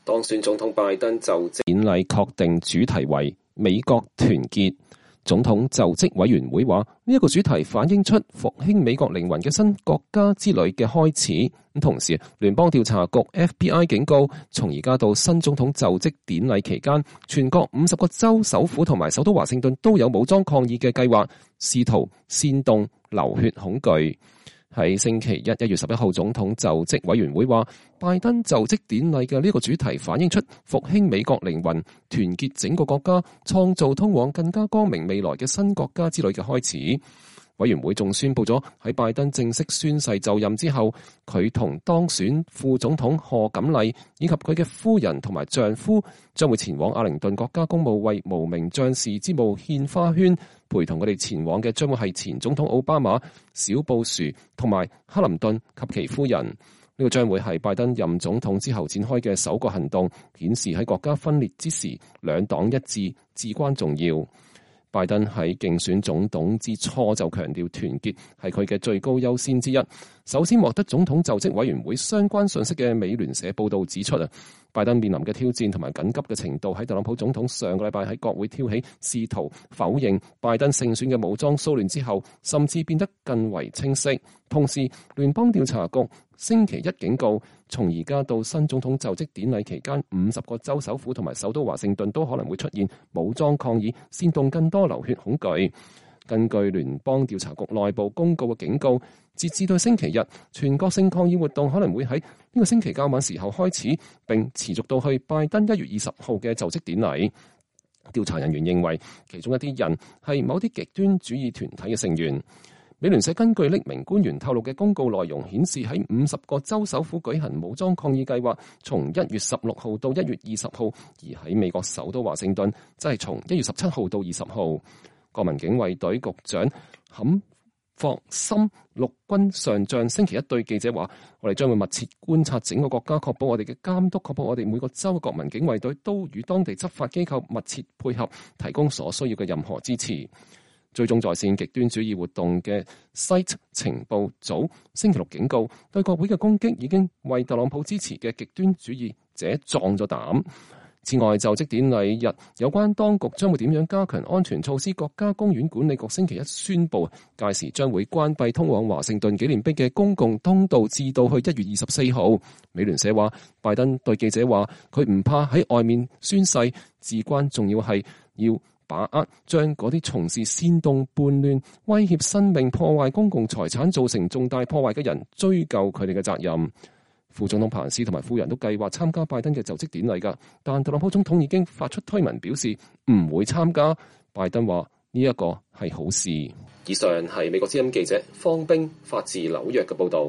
當選總統拜登就職典禮確定主題為美國團結。總統就職委員會話，呢一個主題反映出復興美國靈魂嘅新國家之旅嘅開始。同時，聯邦調查局 FBI 警告，從而家到新總統就職典禮期間，全國50個州首府同埋首都華盛頓都有武裝抗議嘅計劃，試圖煽動流血恐懼。喺星期一1月11號，總統就職委員會話，拜登就職典禮嘅呢個主題反映出復興美國靈魂、團結整個國家、創造通往更加光明未來嘅新國家之旅嘅開始。委員會仲宣布咗喺拜登正式宣誓就任之後，佢同當選副總統賀錦麗以及佢嘅夫人同埋丈夫將會前往阿靈頓國家公墓為無名將士之墓獻花圈。陪同佢哋前往嘅將會係前總統奧巴馬、小布殊同埋克林頓及其夫人。呢個將會係拜登任總統之後展開嘅首個行動，顯示喺國家分裂之時，兩黨一致至關重要。拜登喺競選總統之初就強調團結係佢嘅最高優先之一。首先獲得總統就職委員會相關信息嘅美聯社報道指出拜登面臨嘅挑戰同埋緊急嘅程度喺特朗普總統上個禮拜喺國會挑起試圖否認拜登勝選嘅武裝騷亂之後，甚至變得更為清晰。同時，聯邦調查局星期一警告，從而家到新總統就職典禮期間，50個州首府同埋首都華盛頓都可能會出現武裝抗議，煽動更多流血恐懼。根據聯邦調查局內部公告嘅警告，截至到星期日，全國性抗議活動可能會喺呢個星期較晚時候開始，並持續到去拜登1月20號嘅就職典禮。調查人員認為，其中一啲人係某啲極端主義團體嘅成員。美聯社根據匿名官員透露嘅公告內容顯示，喺50個州首府舉行武裝抗議計劃，從1月16號到1月20號，而喺美國首都華盛頓，即係從1月17號到20號。國民警衛隊局長坎霍森陸軍上將星期一對記者話：我哋將會密切觀察整個國家，確保我哋嘅監督，確保我哋每個州嘅國民警衛隊都與當地執法機構密切配合，提供所需要嘅任何支持。追蹤在線極端主義活動嘅 SITE 情報組星期六警告，對國會嘅攻擊已經為特朗普支持嘅極端主義者壯咗膽。此外，就職典禮日有關當局將會點樣加強安全措施，國家公園管理局星期一宣布，屆時將會關閉通往華盛頓紀念碑嘅公共通道至到去1月24號。美聯社話，拜登對記者話，佢唔怕喺外面宣誓，至關重要係要把握將嗰啲從事煽動叛亂、威脅生命、破壞公共財產、造成重大破壞嘅人追究佢哋嘅責任。副總統彭斯同埋夫人都計劃參加拜登嘅就職典禮㗎，但特朗普總統已經發出推文表示唔會參加。拜登話呢一個係好事。以上係美國之音記者方冰發自紐約嘅報導。